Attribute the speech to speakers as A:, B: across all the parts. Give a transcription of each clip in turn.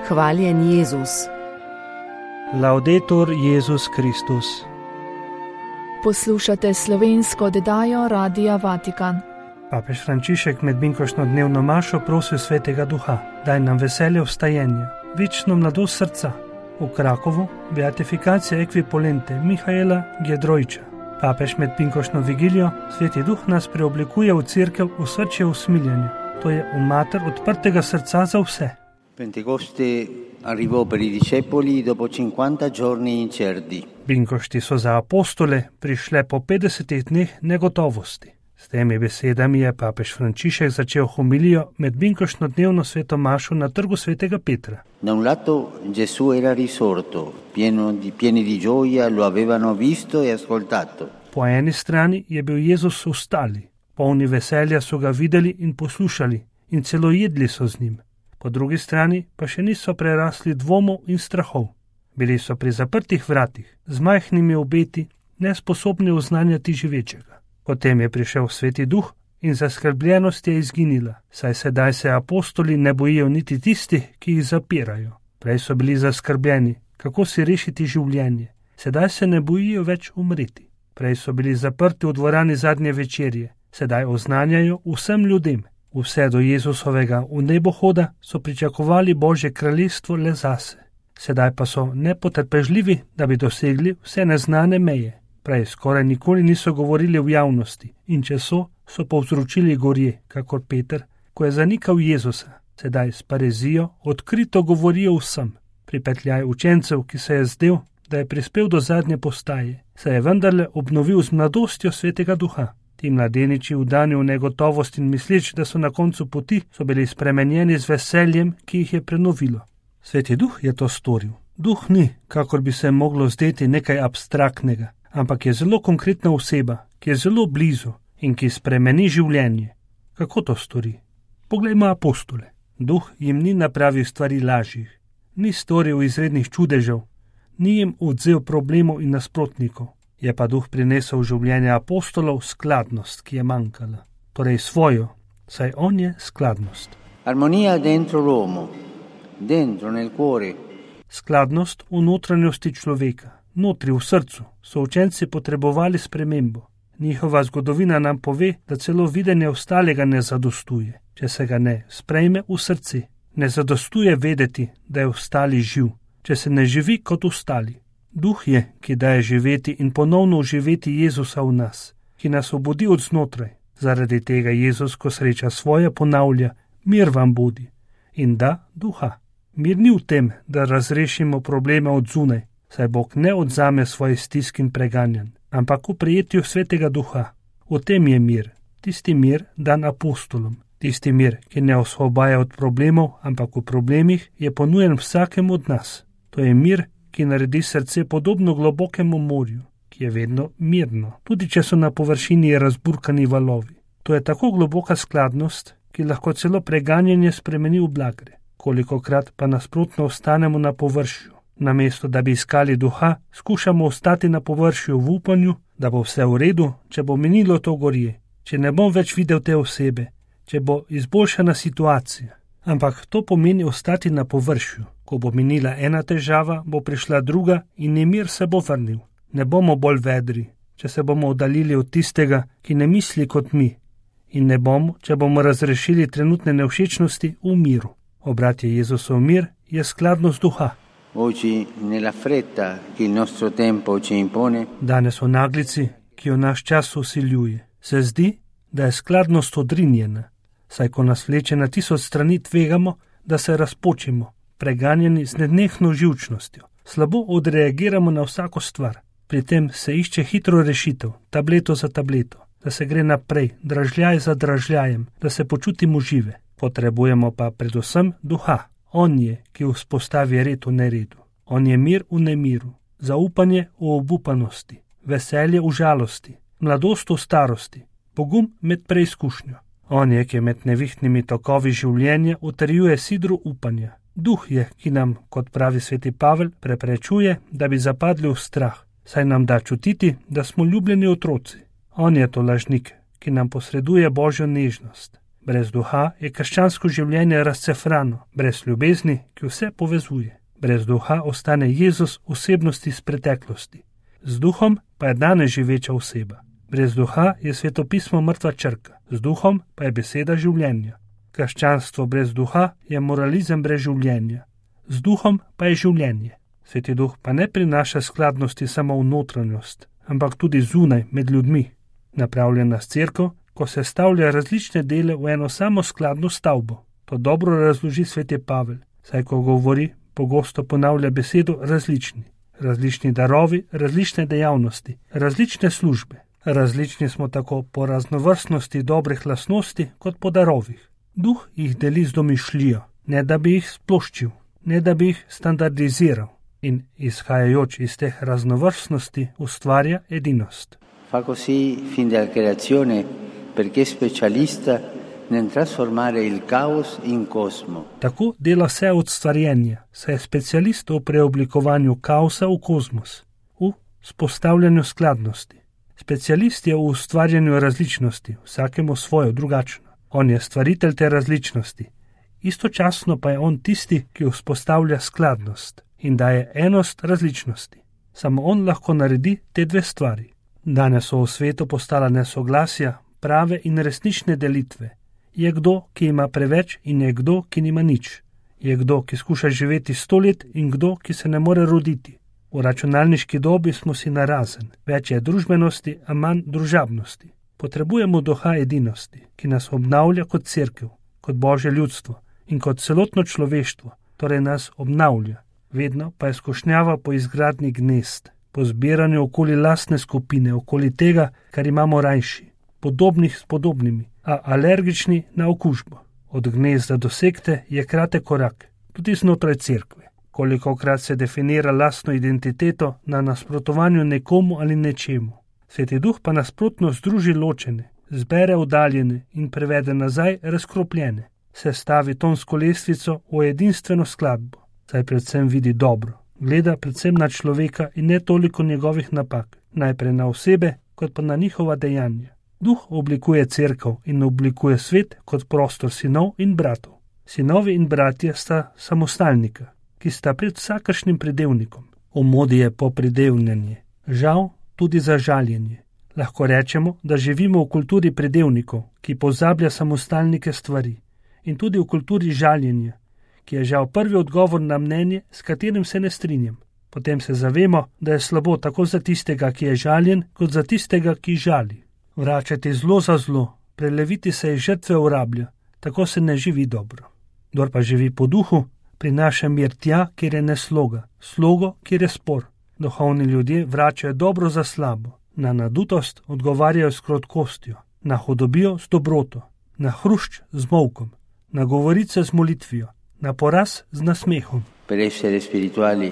A: Hvaljen Jezus.
B: Laudetur Jezus Kristus.
C: Poslušate slovensko oddajo Radia Vatikan.
B: Papež Frančišek med binkoštno dnevno mašo prosil Svetega Duha, daj nam veselje vstajenja, večno mladost srca. V Krakovu beatifikacija ekvipolente Mihaela Giedroyča. Papež med binkoštno vigilijo, Sveti Duh nas preoblikuje v cerkev v srčje usmiljanja, to je v mater odprtega srca za vse.
D: Pentecoste arrivò per i discepoli dopo 50 giorni incerti.
B: Binkošti so za apostole prišle po 50 dneh negotovosti. S temi besedami je papež Frančišek začel homilijo med binkoštno dnevno sveto mašo na trgu svetega Petra.
D: Da un lato Gesù era risorto, pieni di gioia lo avevano visto e ascoltato.
B: Po eni strani je bil Jezus vstali, polni veselja so ga videli in poslušali in celo jedli so z njim. Po drugi strani pa še niso prerasli dvomov in strahov. Bili so pri zaprtih vratih, z majhnimi obeti, nesposobni oznanjati živečega. Potem je prišel Sveti Duh in zaskrbljenost je izginila, saj sedaj se apostoli ne bojijo niti tistih, ki jih zapirajo. Prej so bili zaskrbljeni, kako si rešiti življenje. Sedaj se ne bojijo več umreti. Prej so bili zaprti v dvorani zadnje večerje, sedaj oznanjajo vsem ljudem. Vse do Jezusovega v nebohoda so pričakovali Božje kraljestvo le zase. Sedaj pa so nepotrpežljivi, da bi dosegli vse neznane meje. Prej skoraj nikoli niso govorili v javnosti in če so povzročili gorje, kakor Peter, ko je zanikal Jezusa. Sedaj s parezijo odkrito govorijo vsem. Pripetljaj učencev, ki se je zdel, da je prispel do zadnje postaje, se je vendarle obnovil z mladostjo Svetega Duha. Ti mladeniči vdani v negotovost in misleč, da so na koncu poti, so bili spremenjeni z veseljem, ki jih je prenovilo. Sveti Duh je to storil. Duh ni, kakor bi se moglo zdeti, nekaj abstraktnega, ampak je zelo konkretna oseba, ki je zelo blizu in ki spremeni življenje. Kako to stori? Poglejmo apostole. Duh jim ni napravil stvari lažjih, ni storil izrednih čudežev, ni jim odvzel problemov in nasprotnikov. Je pa Duh prinesel v življenje apostolov skladnost, ki je manjkala. Torej svojo, saj on je skladnost.
D: Armonija dentro l'uomo, dentro nel cuore.
B: Skladnost v notranjosti človeka, notri v srcu, so učenci potrebovali spremembo. Njihova zgodovina nam pove, da celo videnje ostalega ne zadostuje, če se ga ne sprejme v srce. Ne zadostuje vedeti, da je ostali živ, če se ne živi kot ostali. Duh je, ki daje živeti in ponovno oživeti Jezusa v nas, ki nas obudi od znotraj. Zaradi tega Jezus, ko sreča svoje, ponavlja, mir vam bodi. In da, duha. Mir ni v tem, da razrešimo probleme od zunaj, saj Bog ne odzame svoje stisk in preganjanj, ampak v prijetju Svetega Duha. V tem je mir, tisti mir dan apostolom, tisti mir, ki ne osvobaja od problemov, ampak v problemih je ponujen vsakemu od nas. To je mir, ki naredi srce podobno globokemu morju, ki je vedno mirno, tudi če so na površini razburkani valovi. To je tako globoka skladnost, ki lahko celo preganjanje spremeni v blagre. Kolikokrat pa nasprotno ostanemo na površju. Namesto da bi iskali duha, skušamo ostati na površju v upanju, da bo vse v redu, če bo minilo to gorje, če ne bom več videl te osebe, če bo izboljšana situacija. Ampak to pomeni ostati na površju. Ko bo minila ena težava, bo prišla druga in nemir se bo vrnil. Ne bomo bolj vedri, če se bomo oddaljili od tistega, ki ne misli kot mi. In ne bomo, če bomo razrešili trenutne nevšečnosti v miru. Obratje Jezusov mir je skladnost duha.
D: Oggi nella fretta che il nostro tempo ci impone.
B: Danes v naglici, ki jo naš čas usiljuje, se zdi, da je skladnost odrinjena. Saj ko nas vleče na 1000 strani, tvegamo, da se razpočimo, preganjeni z nenehno živčnostjo. Slabo odreagiramo na vsako stvar. Pri tem se išče hitro rešitev, tableto za tableto, da se gre naprej, dražljaj za dražljajem, da se počutimo žive. Potrebujemo pa predvsem duha. On je, ki vzpostavi red v neredu. On je mir v nemiru, zaupanje v obupanosti, veselje v žalosti, mladost v starosti, pogum med preizkušnjo. On je, ki med nevihtnimi tokovi življenja utrjuje sidro upanja. Duh je, ki nam, kot pravi sveti Pavel, preprečuje, da bi zapadli v strah, saj nam da čutiti, da smo ljubljeni otroci. On je to lažnik, ki nam posreduje Božjo nežnost. Brez duha je krščansko življenje razcefrano, brez ljubezni, ki vse povezuje. Brez duha ostane Jezus osebnost iz preteklosti. Z duhom pa je danes živeča oseba. Brez duha je svetopismo mrtva črka, z duhom pa je beseda življenja. Krščanstvo brez duha je moralizem brez življenja, z duhom pa je življenje. Sveti duh pa ne prinaša skladnosti samo v notranjost, ampak tudi zunaj med ljudmi. Napravljena cerkev, ko se stavlja različne dele v eno samo skladno stavbo. To dobro razloži sveti Pavel, saj ko govori, pogosto ponavlja besedo različni. Različni darovi, različne dejavnosti, različne službe. Različni smo tako po raznovrstnosti dobrih lastnosti kot po darovih. Duh jih deli z domišljijo, ne da bi jih sploščil, ne da bi jih standardiziral in izhajajoč iz teh raznovrstnosti ustvarja edinost.
D: Fa così fin dalla creazione perché è specialista nel trasformare il caos in cosmo.
B: Tako dela vse od stvarjenja, saj je specialist v preoblikovanju kaosa v kozmos, v spostavljanju skladnosti. Specialist je v ustvarjanju različnosti, vsakemu svojo drugačno. On je stvaritelj te različnosti. Istočasno pa je on tisti, ki vzpostavlja skladnost in daje enost različnosti. Samo on lahko naredi te dve stvari. Danes so v svetu postala nesoglasja, prave in resnične delitve. Je kdo, ki ima preveč in je kdo, ki nima nič. Je kdo, ki skuša živeti 100 let in kdo, ki se ne more roditi. V računalniški dobi smo si narazen. Več je družbenosti, a manj družabnosti. Potrebujemo duha edinosti, ki nas obnavlja kot cerkev, kot Božje ljudstvo in kot celotno človeštvo, torej nas obnavlja. Vedno pa je skušnjava po izgradnji gnezd, po zbiranju okoli lastne skupine, okoli tega, kar imamo rajši, podobnih s podobnimi, a alergični na okužbo. Od gnezda do sekte je kratek korak, tudi znotraj cerkve. Kolikokrat se definira lastno identiteto na nasprotovanju nekomu ali nečemu. Sveti duh pa nasprotno združi ločene, zbere oddaljene in prevede nazaj razkropljene. Sestavi tonsko lestvico v edinstveno skladbo, saj predvsem vidi dobro. Gleda predvsem na človeka in ne toliko njegovih napak, najprej na osebe, kot pa na njihova dejanja. Duh oblikuje cerkev in oblikuje svet kot prostor sinov in bratov. Sinovi in bratje sta samostalnika, ki sta pred vsakršnim pridevnikom. V modi je po pridevnjanje, žal tudi za žaljenje. Lahko rečemo, da živimo v kulturi pridevnikov, ki pozablja samostalnike stvari, in tudi v kulturi žaljenja, ki je žal prvi odgovor na mnenje, s katerim se ne strinjam. Potem se zavemo, da je slabo tako za tistega, ki je žaljen, kot za tistega, ki žali. Vračati zlo za zlo, preleviti se iz žrtve v rablja, tako se ne živi dobro. Kdor pa živi po duhu, prinaša mir tja, kjer je nesloga, slogo, kjer je spor. Duhovni ljudje vračajo dobro za slabo, na nadutost odgovarjajo s krotkostjo, na hudobijo s dobroto, na hrušč z molkom, na govorice z molitvijo, na poraz z nasmehom.
D: Per essere spirituali,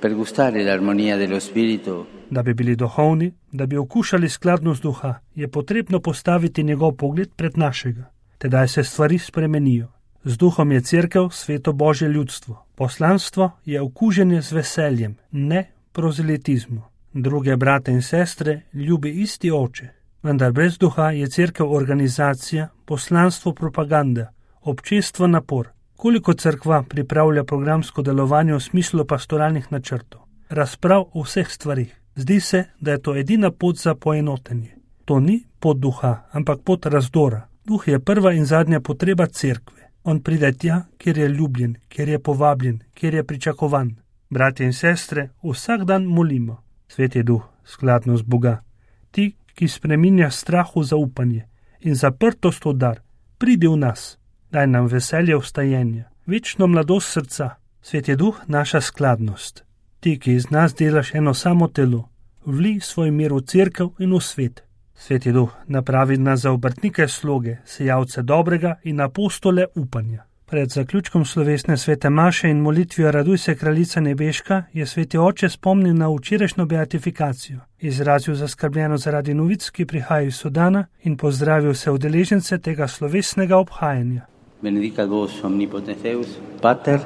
D: per gustare l'armonia dello spirito.
B: Da bi bili duhovni, da bi okušali skladnost duha, je potrebno postaviti njegov pogled pred našega. Tedaj se stvari spremenijo. Z duhom je cerkev sveto Božje ljudstvo. Poslanstvo je okuženje z veseljem, ne prozelitizmu. Druge brate in sestre ljubi isti oče. Vendar brez duha je cerkev organizacija, poslanstvo propaganda, občestvo napor. Koliko cerkva pripravlja programsko delovanje v smislu pastoralnih načrtov, razprav o vseh stvarih. Zdi se, da je to edina pot za poenotenje. To ni pot duha, ampak pot razdora. Duh je prva in zadnja potreba cerkve. On pride tja, kjer je ljubljen, kjer je povabljen, kjer je pričakovan. Bratje in sestre, vsak dan molimo. Sveti duh, skladnost Boga. Ti, ki spreminja strah v zaupanje in zaprtost v dar, pridi v nas. Daj nam veselje vstajenja, večno mladost srca. Sveti duh, naša skladnost. Ti, ki iz nas delaš eno samo telo, vli svoj mir v cerkev in v svet. Sveti duh, napravi nas za obrtnike sloge, sejavce dobrega in apostole upanja. Pred zaključkom slovesne svete maše in molitvijo Raduj se, kraljica nebeška, je sveti oče spomnil na včerajšnjo beatifikacijo, izrazil zaskrbljenost zaradi novic, ki prihajajo iz Sudana, in pozdravil vse udeležence tega slovesnega obhajanja.
D: Benedicat vos omnipotens Deus, Pater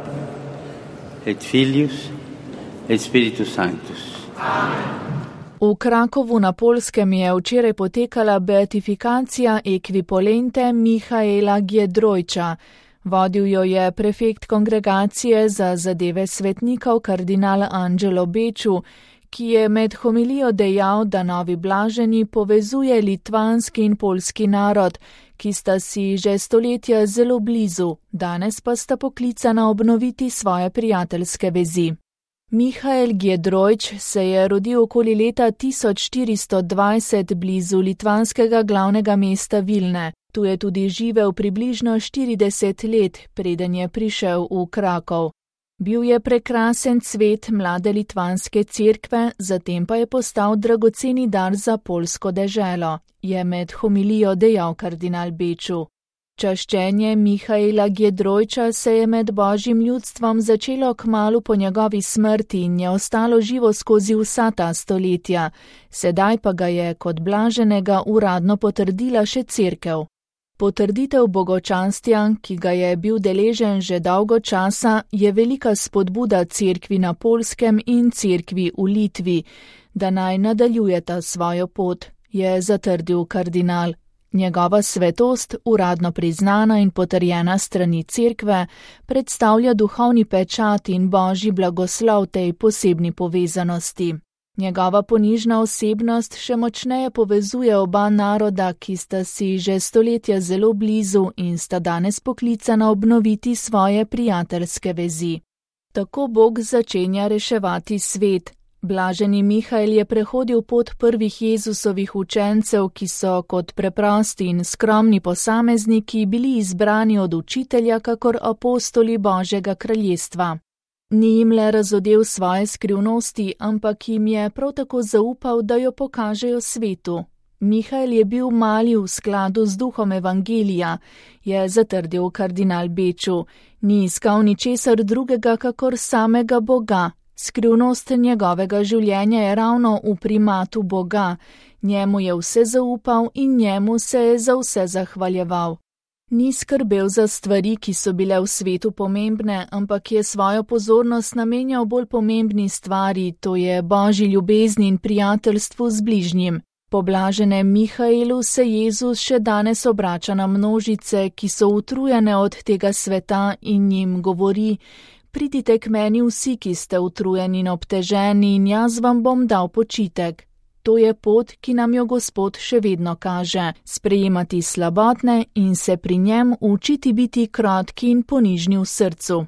D: et Filius et Spiritus Sanctus. Amen.
C: V Krakovu na Poljskem je včeraj potekala beatifikacija ekvipolente Mihaela Giedroyća. Vodil jo je prefekt kongregacije za zadeve svetnikov kardinal Angelo Beču, ki je med homilijo dejal, da novi blaženi povezuje litvanski in poljski narod, ki sta si že stoletja zelo blizu, danes pa sta poklicana obnoviti svoje prijateljske vezi. Mihael Giedroyć se je rodil okoli leta 1420 blizu litvanskega glavnega mesta Vilne. Tu je tudi živel približno 40 let, preden je prišel v Krakov. Bil je prekrasen cvet mlade litvanske cerkve, zatem pa je postal dragoceni dar za poljsko deželo, je med homilijo dejal kardinal Beču. Čaščenje Mihaela Giedroyća se je med božjim ljudstvom začelo kmalu po njegovi smrti in je ostalo živo skozi vsa ta stoletja, sedaj pa ga je kot blaženega uradno potrdila še cerkev. Potrditev bogočanstja, ki ga je bil deležen že dolgo časa, je velika spodbuda cerkvi na Poljskem in cerkvi v Litvi, da naj nadaljujeta svojo pot, je zatrdil kardinal. Njegova svetost, uradno priznana in potrjena strani cerkve, predstavlja duhovni pečat in božji blagoslov tej posebni povezanosti. Njegova ponižna osebnost še močneje povezuje oba naroda, ki sta si že stoletja zelo blizu in sta danes poklicana obnoviti svoje prijateljske vezi. Tako Bog začenja reševati svet. Blaženi Mihael je prehodil pot prvih Jezusovih učencev, ki so kot preprosti in skromni posamezniki bili izbrani od učitelja kakor apostoli Božjega kraljestva. Ni jim le razodel svoje skrivnosti, ampak jim je prav tako zaupal, da jo pokažejo svetu. Mihael je bil mali v skladu z duhom evangelija, je zatrdil kardinal Beču. Ni iskal ničesar drugega kakor samega Boga. Skrivnost njegovega življenja je ravno v primatu Boga. Njemu je vse zaupal in njemu se je za vse zahvaljeval. Ni skrbel za stvari, ki so bile v svetu pomembne, ampak je svojo pozornost namenjal bolj pomembni stvari, to je božji ljubezni in prijateljstvu z bližnjim. Po blaženem Mihaelu se Jezus še danes obrača na množice, ki so utrujene od tega sveta in jim govori: pridite k meni vsi, ki ste utrujeni in obteženi, in jaz vam bom dal počitek. To je pot, ki nam jo Gospod še vedno kaže, sprejemati slabotne in se pri njem učiti biti krotki in ponižni v srcu.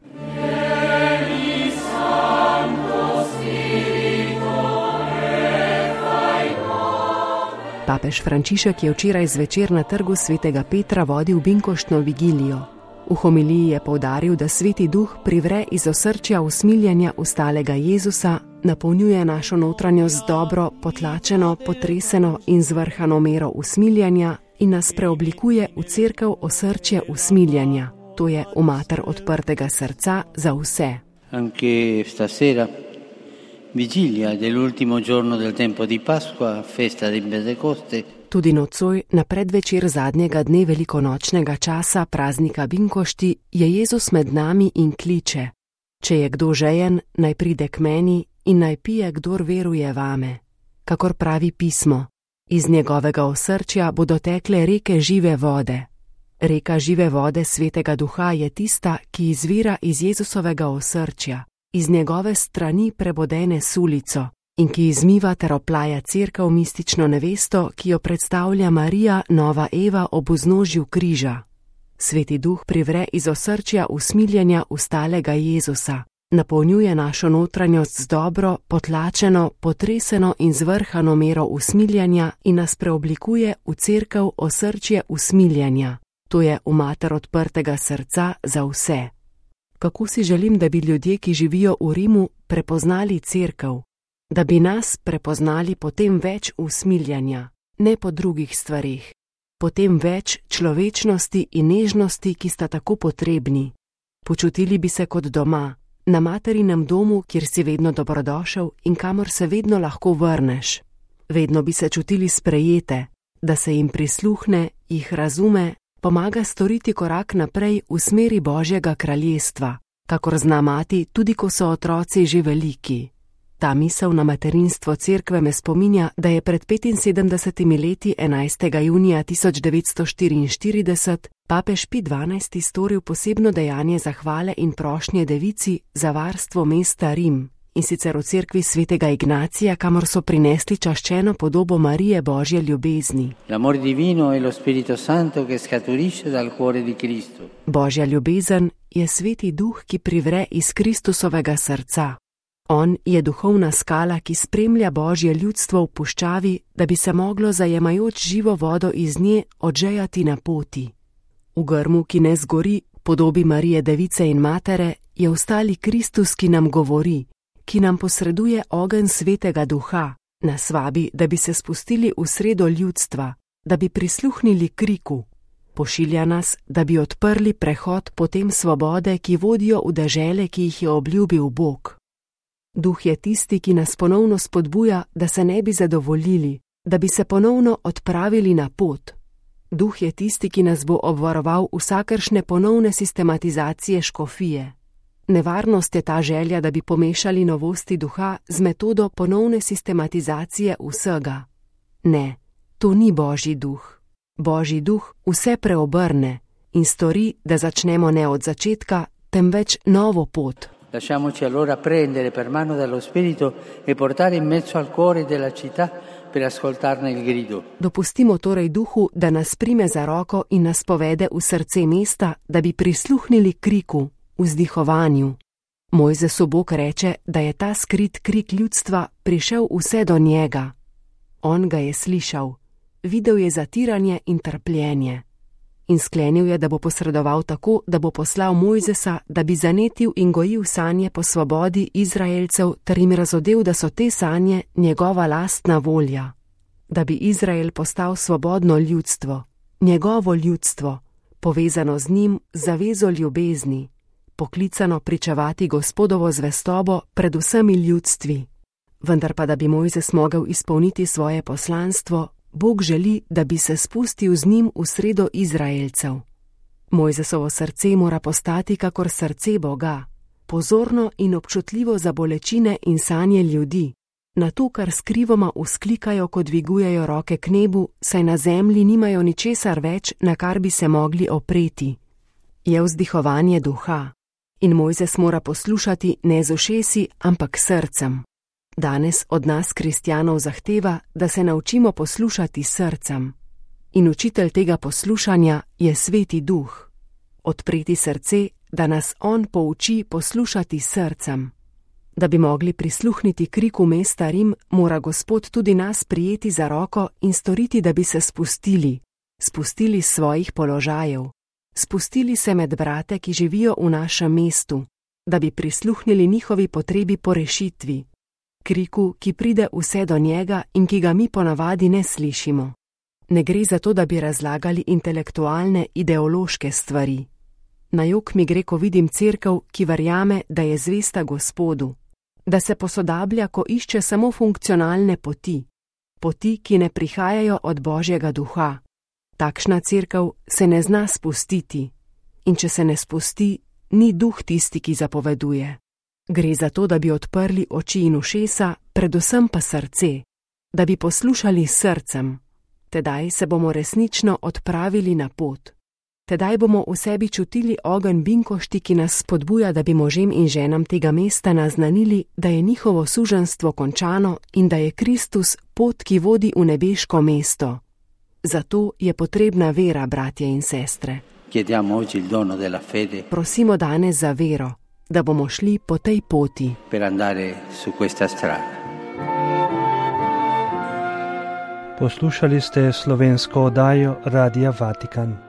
A: Papež Frančišek je včeraj zvečer na trgu svetega Petra vodil binkoštno vigilijo. V homiliji je poudaril, da Sveti Duh privre iz osrčja usmiljenja ustalega Jezusa, napolnjuje našo notranjost z dobro, potlačeno, potreseno in zvrhano mero usmiljenja in nas preoblikuje v cerkev osrčje usmiljenja, to je v mater odprtega srca za vse.
D: Anche stasera, vigilia dell'ultimo giorno del tempo di Pasqua, festa di Pentecoste.
A: Tudi nocoj, na predvečer zadnjega dne velikonočnega časa praznika Binkošti, je Jezus med nami in kliče: če je kdo žejen, naj pride k meni in naj pije, kdor veruje vame. Kakor pravi pismo, iz njegovega osrčja bodo tekle reke žive vode. Reka žive vode Svetega Duha je tista, ki izvira iz Jezusovega osrčja, iz njegove strani prebodene sulico, in ki izmiva ter oplaja cerkev mistično nevesto, ki jo predstavlja Marija, nova Eva ob vznožju križa. Sveti Duh privre iz osrčja usmiljenja ustalega Jezusa, napolnjuje našo notranjost z dobro, potlačeno, potreseno in zvrhano mero usmiljenja in nas preoblikuje v cerkev osrčje usmiljenja, to je v mater odprtega srca za vse. Kako si želim, da bi ljudje, ki živijo v Rimu, prepoznali cerkev, da bi nas prepoznali potem več usmiljenja, ne po drugih stvarih, potem več človečnosti in nežnosti, ki sta tako potrebni. Počutili bi se kot doma, na materinem domu, kjer si vedno dobrodošel in kamor se vedno lahko vrneš. Vedno bi se čutili sprejete, da se jim prisluhne, jih razume, pomaga storiti korak naprej v smeri Božjega kraljestva, kakor zna mati, tudi ko so otroci že veliki. Ta misel na materinstvo cerkve me spominja, da je pred 75 leti 11. junija 1944 papež Pij XII. Storil posebno dejanje zahvale in prošnje devici za varstvo mesta Rim, in sicer v cerkvi svetega Ignacija, kamor so prinesli čaščeno podobo Marije Božje ljubezni.
D: L'amor divino è lo Spirito Santo che scaturisce dal cuore di Cristo.
A: Božja ljubezen je sveti duh, ki privre iz Kristusovega srca. On je duhovna skala, ki spremlja Božje ljudstvo v puščavi, da bi se moglo zajemajoč živo vodo iz nje odžejati na poti. V grmu, ki ne zgori, podobi Marije Device in Matere, je ostali Kristus, ki nam govori, ki nam posreduje ogenj svetega duha, nas vabi, da bi se spustili v sredo ljudstva, da bi prisluhnili kriku. Pošilja nas, da bi odprli prehod potem svobode, ki vodijo v dežele, ki jih je obljubil Bog. Duh je tisti, ki nas ponovno spodbuja, da se ne bi zadovoljili, da bi se ponovno odpravili na pot. Duh je tisti, ki nas bo obvaroval vsakršne ponovne sistematizacije škofije. Nevarnost je ta želja, da bi pomešali novosti duha z metodo ponovne sistematizacije vsega. Ne, to ni Božji duh. Božji duh vse preobrne in stori, da začnemo ne od začetka, temveč novo pot.
D: Lasciamoci allora prendere per mano dallo Spirito e portare in mezzo al cuore della città per ascoltarne il grido.
A: Dopustimo torej duhu, da nas prime za roko in nas povede v srce mesta, da bi prisluhnili kriku, vzdihovanju. Mojzesu Bog reče, da je ta skrit krik ljudstva prišel vse do njega. On ga je slišal, videl je zatiranje in trpljenje. In sklenil je, da bo posredoval tako, da bo poslal Mojzesa, da bi zanetil in gojil sanje po svobodi Izraelcev ter jim razodel, da so te sanje njegova lastna volja. Da bi Izrael postal svobodno ljudstvo, njegovo ljudstvo, povezano z njim z zavezo ljubezni, poklicano pričevati Gospodovo zvestobo pred vsemi ljudstvi. Vendar pa, da bi Mojzes mogel izpolniti svoje poslanstvo, Bog želi, da bi se spustil z njim v sredo Izraelcev. Mojzesovo srce mora postati kakor srce Boga, pozorno in občutljivo za bolečine in sanje ljudi, na to, kar skrivoma vzklikajo, ko dvigujejo roke k nebu, saj na zemlji nimajo ničesar več, na kar bi se mogli opreti. Je vzdihovanje duha in Mojzes mora poslušati ne z ušesi, ampak srcem. Danes od nas, kristjanov, zahteva, da se naučimo poslušati srcem. In učitelj tega poslušanja je sveti duh. Odpreti srce, da nas on pouči poslušati srcem. Da bi mogli prisluhniti kriku mesta Rim, mora Gospod tudi nas prijeti za roko in storiti, da bi se spustili s svojih položajev, spustili se med brate, ki živijo v našem mestu, da bi prisluhnili njihovi potrebi po rešitvi. Kriku, ki pride vse do njega in ki ga mi ponavadi ne slišimo. Ne gre za to, da bi razlagali intelektualne, ideološke stvari. Na jok mi gre, ko vidim cerkev, ki verjame, da je zvesta Gospodu, da se posodablja, ko išče samo funkcionalne poti, ki ne prihajajo od Božjega duha. Takšna cerkev se ne zna spustiti in če se ne spusti, ni duh tisti, ki zapoveduje. Gre za to, da bi odprli oči in ušesa, predvsem pa srce, da bi poslušali srcem. Tedaj se bomo resnično odpravili na pot. Tedaj bomo v sebi čutili ogenj binkošti, ki nas spodbuja, da bi možem in ženam tega mesta naznanili, da je njihovo suženstvo končano in da je Kristus pot, ki vodi v nebeško mesto. Zato je potrebna vera, bratje in sestre. Prosimo danes za vero, da bomo šli po tej poti.
B: Poslušali ste slovensko oddajo Radia Vatikan.